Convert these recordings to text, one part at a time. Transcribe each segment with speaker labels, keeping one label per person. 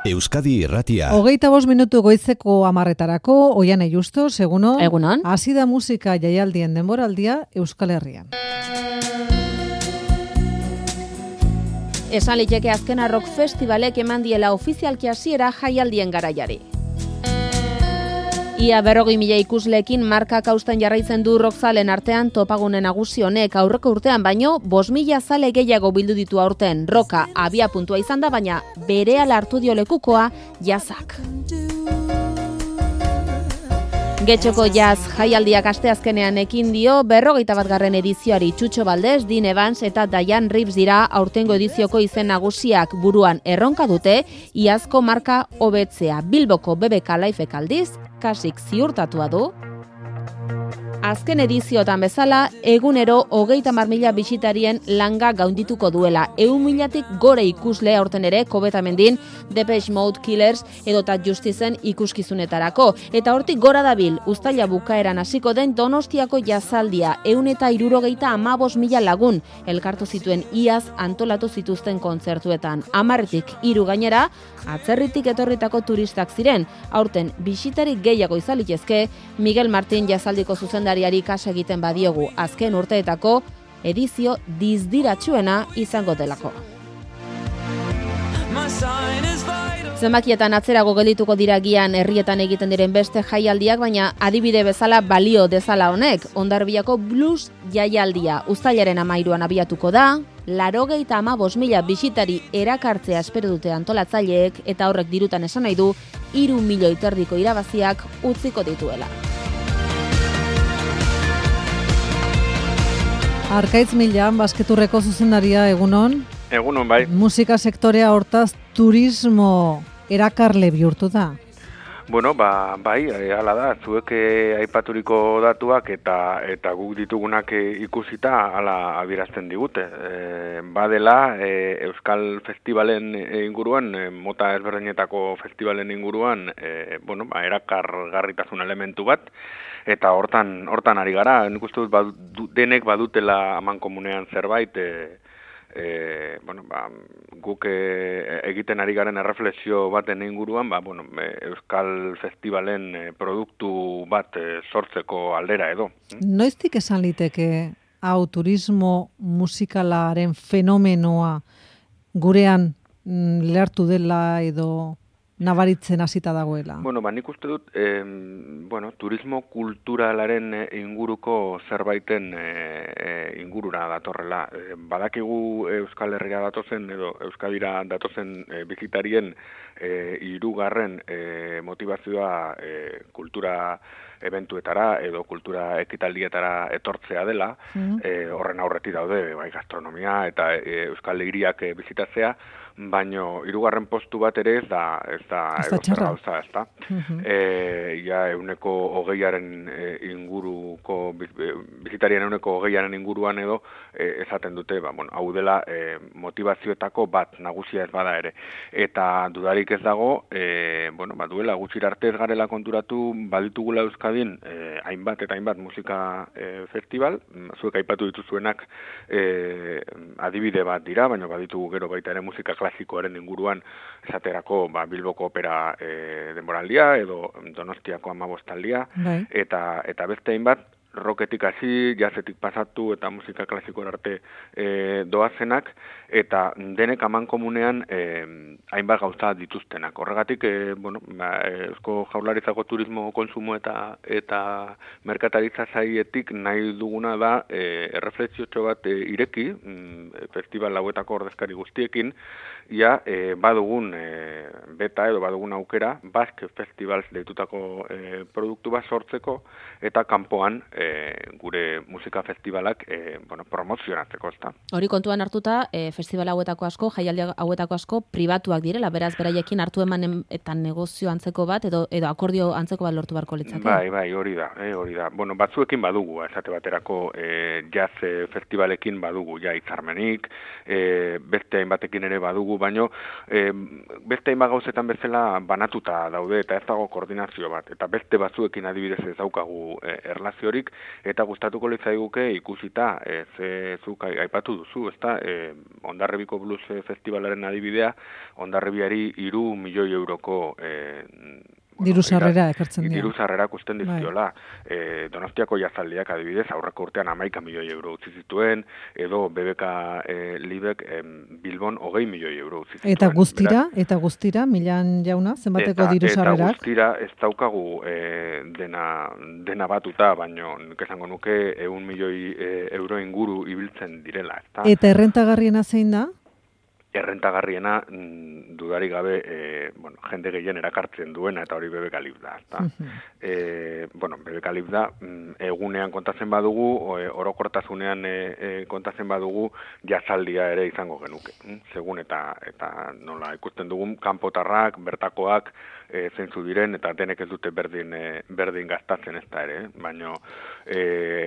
Speaker 1: Euskadi Irratia.
Speaker 2: 25 minutu goizeko 10:00 Oiane Justos, egunon.
Speaker 3: Egunon.
Speaker 2: Hasi da musika jaialdien denboraldia Euskal Herrian.
Speaker 3: Esan liteke azkena rock festivalek eman diela ofizialki hasiera jaialdien garaiari. Ia 40.000 ikusleekin markak hausten jarraitzen du rockzalen artean topagune nagusi honek aurreko urtean baino 5.000 zale gehiago bildu ditu aurten. Roka abia puntua izan da, baina berehala hartu dio lekukoa jazzak. Getxoko jazz jaialdiak asteazkenean ekin dio 41. edizioari. Txutxo Baldez, Dean Evans eta Diane Reeves dira aurtengo edizioko izen nagusiak. Buruan erronka dute iazko marka hobetzea. Bilboko BBK Lifek aldiz kasik ziurtatua du. Azken ediziotan bezala, egunero 30.000 bisitarien langa gaundituko duela. 100.000-tik gore ikusle aurten ere Kobetamendin, Depeche Mode, Killers edota Justicen ikuskizunetarako. Eta hortik gora dabil, uztaila bukaeran hasiko den Donostiako jazaldia, 175.000 lagun elkartu zituen iaz antolatu zituzten kontzertuetan. 10-tik 3 gainera, atzerritik etorritako turistak ziren. Aurten bisitarik gehiago izalitezke, Miguel Martin jazaldiko zuzendariari kasa egiten badiogu azken urteetako edizio dizdiratsuena izango delako. Zenbakietan atzerago geldituko dira gian herrietan egiten diren beste jaialdiak, baina adibide bezala balio dezala honek. Hondarribiako blues jaialdia uztailaren 13an abiatuko da, 95.000 bisitari erakartzea espero dute antolatzaileek, eta horrek dirutan esan nahi du 3 milioi erdiko irabaziak utziko dituela.
Speaker 2: Arkaitz Milan, basketurreko zuzendaria, egunon.
Speaker 4: Egunon, bai.
Speaker 2: Musika sektorea hortaz turismo erakarle bihurtu da.
Speaker 4: Bueno, bai, hala da, zuek aipaturiko datuak eta guk ditugunak ikusita hala adierazten digute. Badela, Euskal Festivalen inguruan, mota ezberdinetako festivalen inguruan, erakargarritasun elementu bat, eta hortan ari gara. Nik uste dut denek badutela amankomunean zerbait, guk egiten ari garen erreflexio baten inguruan, Euskal Festivalen produktu bat sortzeko aldera edo.
Speaker 2: Noiztik esan liteke hau turismo musikalaren fenomenoa gurean lehartu dela edo nabaritzen hasita dagoela?
Speaker 4: Nik uste dut, turismo kulturalaren inguruko zerbaiten ingurura datorrela. Badakigu Euskal Herria datozen edo Euskadira datozen bizitarien 3. Motivazioa kultura eventuetara edo kultura ekitaldietara etortzea dela, horren aurretik daude, gastronomia eta Euskal Hiriak bizitatzea, baino 3. postu bat ere ez da gauza, ez da. Ja 20% inguruko bizitarien 20% inguruan edo esaten dute, hau dela motivazioetako bat nagusia ez bada ere. Eta dudarik ez dago, duela gutxira arte ez garela konturatu baditugula Euskadin hainbat eta hainbat musika festival, zuek aipatu dituzuenak adibide bat dira, baina baditugu gero baita ere musika klasikoaren inguruan, esaterako Bilboko opera denboraldia edo Donostiako 15aldia, eta beste hainbat rocketik hasi, jazzetik pasatu eta musika klasikoan arte doazenak, eta denek amankomunean hainbat gauza dituztenak. Horregatik, Eusko Jaurlaritzako turismo konsumo eta merkataritza saietik nahi duguna da erreflexiotxo bat ireki, festival hauetako ordezkari guztiekin, badugun beta edo badugun aukera, Basque Festivals deitutako produktu bat sortzeko, eta kanpoan gure musika festivalak promozionatzeko, ezta.
Speaker 3: Hori kontuan hartuta, festival hauetako asko, jaialdi hauetako asko pribatuak direla, beraz beraiekin hartu eman eta negozio antzeko bat edo akordio antzeko bat lortu beharko litzake.
Speaker 4: Bai, hori da. Batzuekin badugu, esate baterako jazz festivalekin badugu hitzarmenik, beste hainbatekin ere badugu, baino beste hainbat gauzetan bezala banatuta daude eta ez dago koordinazio bat, eta beste batzuekin adibidez ez daukagu erlaziorik, eta gustatuko litzaiguke ikusita, zuk aipatu duzu, ezta, Hondarribiko Blues Festivalaren adibidea, Hondarribiari 3 milioi euroko
Speaker 2: diru sarrera ekartzen dira.
Speaker 4: Diru sarrera kusten dizkiola. Donostiako jazaldiak adibidez, aurreko urtean 11 milioi euro utzi zituen, edo BBK Libek Bilbon 20 milioi euro utzi zituen.
Speaker 2: Eta guztira, Milan jauna, zenbateko diru sarrerak?
Speaker 4: Eta guztira ez daukagu dena batuta, baino esango nuke 100 milioi euro inguru ibiltzen direla.
Speaker 2: Eta errentagarriena zein da?
Speaker 4: Errentagarriena dudarik gabe jende gehien erakartzen duena eta hori BBK Lib da. BBK Lib da egunean kontatzen badugu, orokortasunean kontatzen badugu jazaldia ere izango genuke. Segun eta nola ikusten dugun kanpotarrak, bertakoak zeintzu diren eta denek ez dute berdin gastatzen ez da ere. Baina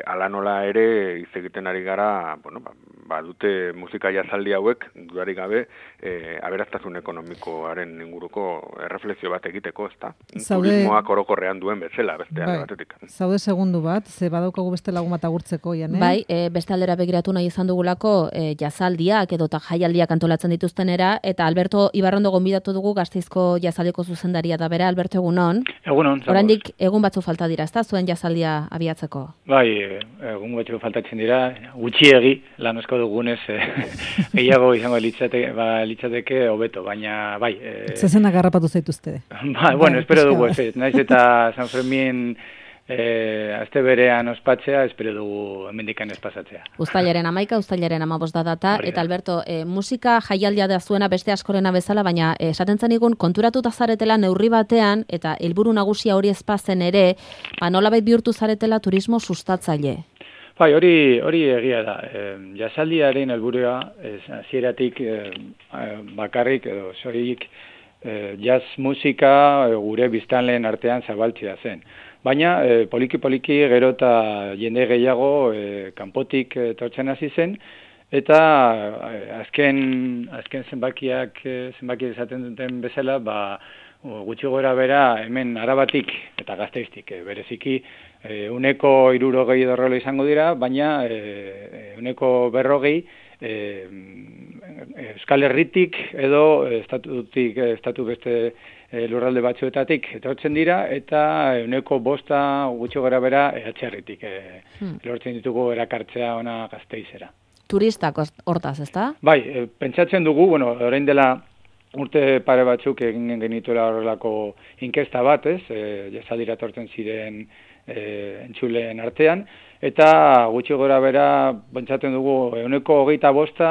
Speaker 4: ala nola ere hitz egiten ari gara, dute musika jazaldi hauek dudarik gabe aberastasun ekonomikoaren inguruko erreflexio bat egiteko, ezta? Turismoak orokorrean duen bezala, beste alde batetik.
Speaker 2: Zaude segundu bat, ze badaukagu beste lagun bat agurtzeko, Jane?
Speaker 3: Bai, beste aldera begiratu nahi izan dugulako jazaldiak edota jaialdiak antolatzen dituztenera, eta Alberto Ibarrondo gonbidatu dugu Gasteizko jazaldiko zuzendaria da bera. Alberto, egunon?
Speaker 1: Egunon.
Speaker 3: Oraindik egun batzu falta dira, ezta zuen jazaldia abiatzeko?
Speaker 1: Bai, egun batzu faltatzen dira, gutxiegi lan asko dugunez gehiago izango litzateke hobeto, baina bai.
Speaker 2: Zezenak garrapatu zaituzte.
Speaker 1: Bueno, espero dugu, naiz eta San Fermin aste berean ospatzea, espero dugu hemendikan ez pasatzea.
Speaker 3: Uztailaren 11, uztailaren 15 da data, eta Alberto, musika jaialdia da zuena beste askorena bezala, baina esaten zenigun konturatuta zaretela neurri batean, eta helburu nagusia hori ezpazen ere, nolabait bihurtu zaretela turismo sustatzaile.
Speaker 1: Bai, hori egia da. Jazaldiaren helburua hasieratik bakarrik edo soilik jazz musika gure biztanleen artean zabaltzea zen. Baina poliki gero eta jende gehiago kanpotik etortzen hasi zen, eta azken zenbakiak esaten duten bezala, gutxi gora bera hemen Arabatik eta Gasteiztik bereziki 160 dorrela izango dira, baina 140 Euskal Herritik edo estatu beste lurralde batzuetatik etortzen dira, eta 105 gutxi gora bera Etxerritik lortzen ditugu erakartzea ona Gasteizera.
Speaker 3: Turistak hortaz, ezta?
Speaker 1: Bai, pentsatzen dugu, orain dela urte pare batzuk egin genituela horrelako inkesta bat, jazaldira etortzen ziren entzuleen artean, eta gutxi gora bera pentsatzen dugu 125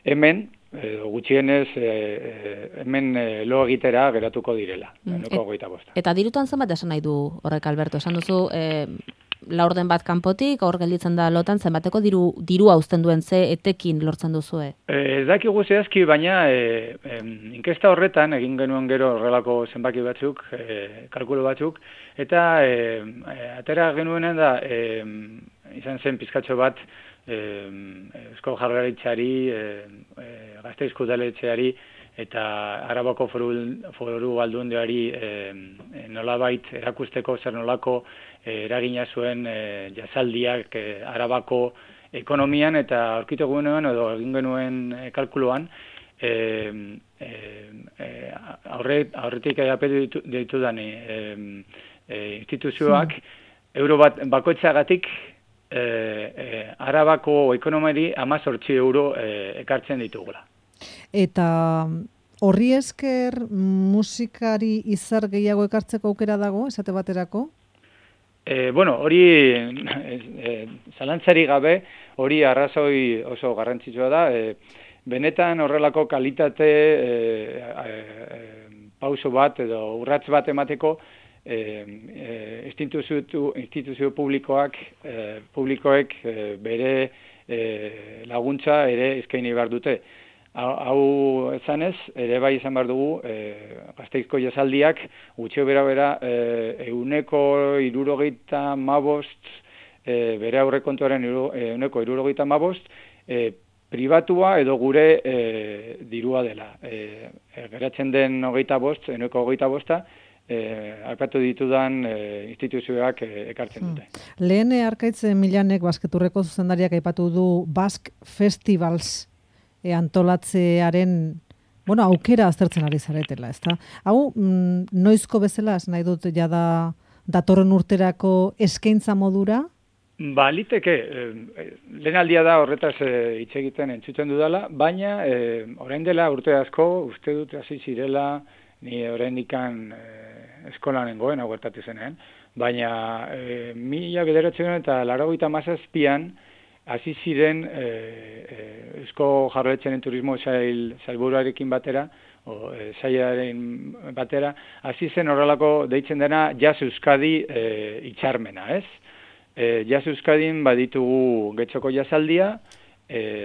Speaker 1: hemen, gutxienez hemen lo egitera geratuko direla, 125.
Speaker 3: Eta dirutan zenbat esan nahi du horrek, Alberto? Esan duzu, laurden bat kanpotik, hor gelditzen da lotan, zenbateko dirua uzten duen ze etekin lortzen duzue? Ez
Speaker 1: dakigu zehazki, baina inkesta horretan egin genuen gero horrelako zenbaki batzuk, kalkulo batzuk, eta atera genuenen da, izan zen pizkatxo bat, Eusko Jaurlaritzari, Gasteizko udaletxeari eta Arabako foru aldundiari nolabait erakusteko zer nolako eragina zuen jazaldiak Arabako ekonomian, eta aurkitu genuen edo egin genuen kalkuluan aurretik apetu ditudan instituzioak euro bakoitzagatik Arabako ekonomiari 18 euro ekartzen ditugula.
Speaker 2: Eta horri esker musikari izar gehiago ekartzeko aukera dago, esate baterako?
Speaker 1: Hori zalantzari gabe, hori arrazoi oso garrantzitsua da. Benetan horrelako kalitate pauso bat edo urrats bat emateko instituzio publikoek bere laguntza ere eskaini behar dute. Hau ezanez, ere bai izan behar dugu, Gasteizko jazaldiak gutxio bera 165 bere aurrekontuaren 165 pribatua edo gure dirua dela. Geratzen den 25, 125 aipatu ditudan instituzioak ekartzen dute.
Speaker 2: Lehen Arkaitz Milanek basketurreko zuzendariak aipatu du Basque Festivals antolatzearen aukera aztertzen ari zaretela, ezta? Hau, noizko bezala, nahi dut jada datorren urterako eskaintza modura?
Speaker 1: Liteke, lehen aldia da horretaz hitz egiten entzuten dudala, baina orain dela urte asko, uste dut hasi zirela, ni oraindikan eskolan nengoen, hau gertatu zenean, baina 1987an hasi ziren Eusko Jaurlaritzaren turismo sailburuarekin batera, sailaren batera, hasi zen horrelako deitzen dena Jazz Euskadi hitzarmena, ez? Jazz Euskadin baditugu Getxoko jazaldia,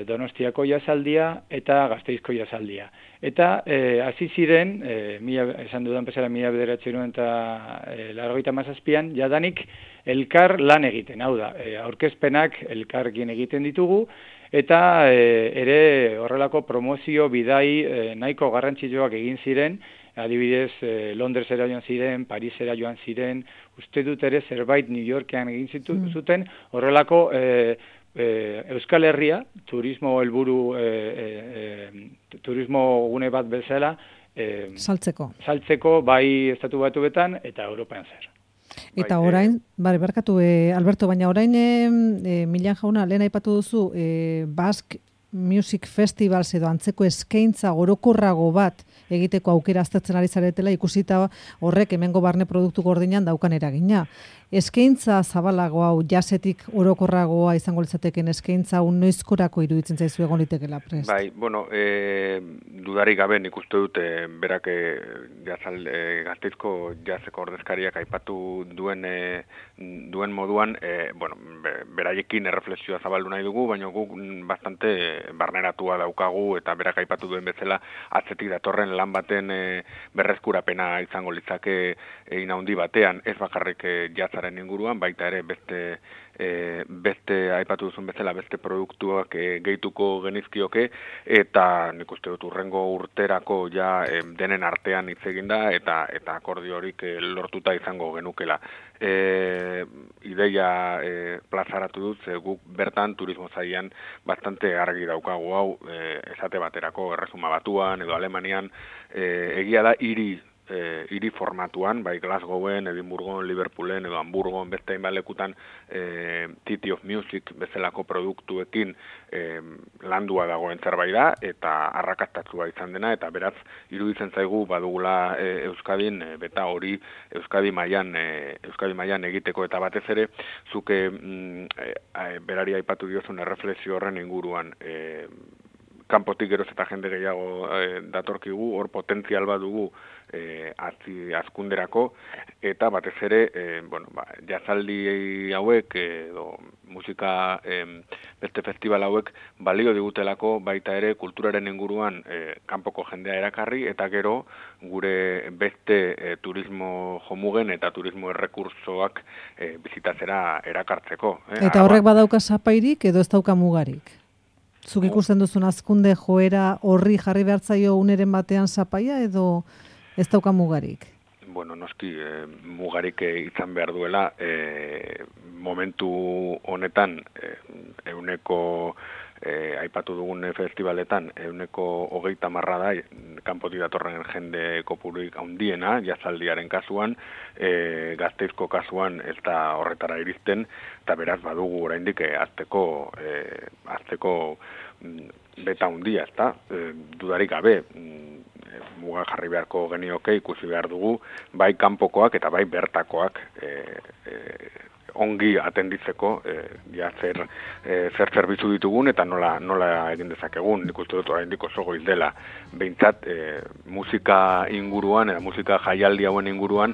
Speaker 1: Donostiako jazaldia eta Gasteizko jazaldia. Eta hasi ziren, esan dudan bezala 1987an, jadanik elkar lan egiten, hau da, aurkezpenak elkarrekin egiten ditugu, eta ere horrelako promozio bidai nahiko garrantzitsuak egin ziren, adibidez Londresera joan ziren, Parisera joan ziren, uste dut ere zerbait New Yorkean egin zuten, horrelako Euskal Herria, turismo helburu, turismo gune bat bezala, saltzeko bai Estatu Batuetan eta Europan zer.
Speaker 2: Eta orain, barkatu Alberto, baina orain Milan jauna, lehen aipatu duzu, Basque Music Festivals edo antzeko eskaintza orokorrago bat egiteko aukera aztertzen ari zaretela, ikusita horrek hemengo barne produktu gordinan daukan eragina. Eskaintza zabalago hau, jazetik orokorragoa izango litzateken eskaintza hau noizkorako iruditzen zaizu egon litekela prest?
Speaker 4: Bai, dudarik gabe nik uste dut berak Gasteizko jazeko ordezkariak aipatu duen moduan, beraiekin erreflexioa zabaldu nahi dugu, baina guk bastante barneratua daukagu eta berak aipatu duen bezala atzetik datorren lan baten berreskurapena izango litzake egin handi batean, ez bakarrik jazzaren inguruan, baita ere beste aipatu duzun bezala beste produktuak gehituko genizkioke, eta nik uste dut urrengo urterako ja denen artean hitz egin da eta akordio horik lortuta izango genukela. Ideia plazaratu dut, guk bertan turismo sailean bastante argi daukagu hau, esate baterako Erresuma Batuan edo Alemanian, egia da hiri formatuan, bai Glasgowen, Edinburgon, Liverpoolen edo Hamburgon, beste hainbat lekutan City of Music bezalako produktuekin landua dagoen zerbait da eta arrakastatua izan dena, eta beraz iruditzen zaigu badugula Euskadin beta hori Euskadi mailan egiteko, eta batez ere zuke berari aipatu diozun erreflexio horren inguruan, kanpotik geroz eta jende gehiago datorkigu, hor potentzial bat dugu azkunderako, eta batez ere, jazaldi hauek edo musika beste festival hauek balio digutelako baita ere kulturaren inguruan kanpoko jendea erakarri, eta gero gure beste turismo jomugen eta turismo errekursoak bizitatzera erakartzeko.
Speaker 2: Eta horrek badauka zapairik edo ez dauka mugarik? Zuk ikusten duzun azkunde joera horri jarri behartzaio uneren batean zapaia edo ez dauka mugarik?
Speaker 4: Noski mugarik izan behar duela, momentu honetan euneko aipatu dugun festivaletan 30% da kanpotik datorren jende kopururik handiena, jazaldiaren kasuan, Gasteizko kasuan ez da horretara iristen, eta beraz badugu oraindik azteko beta handia, ezta? Dudarik gabe, muga jarri beharko genioke, ikusi behar dugu, bai kanpokoak eta bai bertakoak ongi atenditzeko zer zerbitzu ditugun eta nola egin dezakegun. Nik uste dut oraindik oso goiz dela. Behintzat musika inguruan eta musika jaialdi hauen inguruan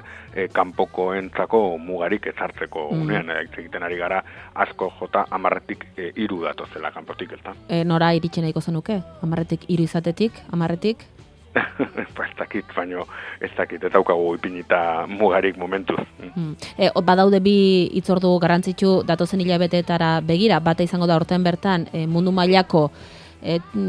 Speaker 4: kanpokoentzako mugarik ezartzeko unean egiten ari gara, asko jota 10-tik 3 datozela kanpotik, ezta?
Speaker 3: Nora iritsi nahiko zenuke? 10-tik 3 izatetik, 10-tik?
Speaker 4: Ez dakit, baino ez dakit, ez daukagu ipinita mugarik momentuz.
Speaker 3: Badaude bi hitzordu garrantzitsu datozen hilabeteetara begira, bata izango da horten bertan mundu mailako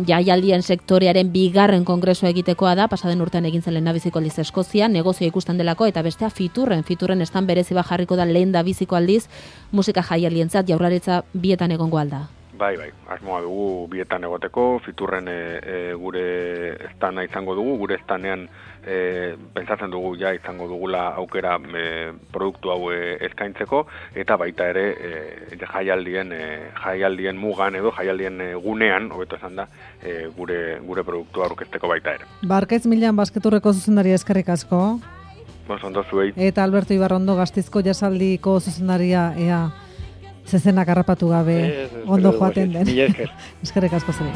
Speaker 3: jaialdien sektorearen bigarren kongresua egitekoa da, pasaden urtean egin zen lehendabiziko aldiz Eskozia, negozioa ikusten delako, eta bestea fiturren estan berezi bat jarriko da lehendabiziko aldiz musika jaialdientzat Jaurlaritza bietan egongo alda.
Speaker 4: Bai, asmoa dugu bietan egoteko, fiturren gure estana izango dugu, gure estanean pentsatzen dugu ja izango dugula aukera produktu hau eskaintzeko, eta baita ere jaialdien mugan edo jaialdien gunean, hobeto esan da, gure produktua aurkezteko baita ere.
Speaker 2: Barkaitz Milan Basketurreko zuzendaria eskerrik asko.
Speaker 4: Ondo zuei.
Speaker 2: Eta Alberto Ibarrondo Gasteizko jasaldiko zuzendaria, ea zezenak harrapatu gabe ondo joaten den.
Speaker 1: Mila esker.
Speaker 2: Eskerrik asko zen.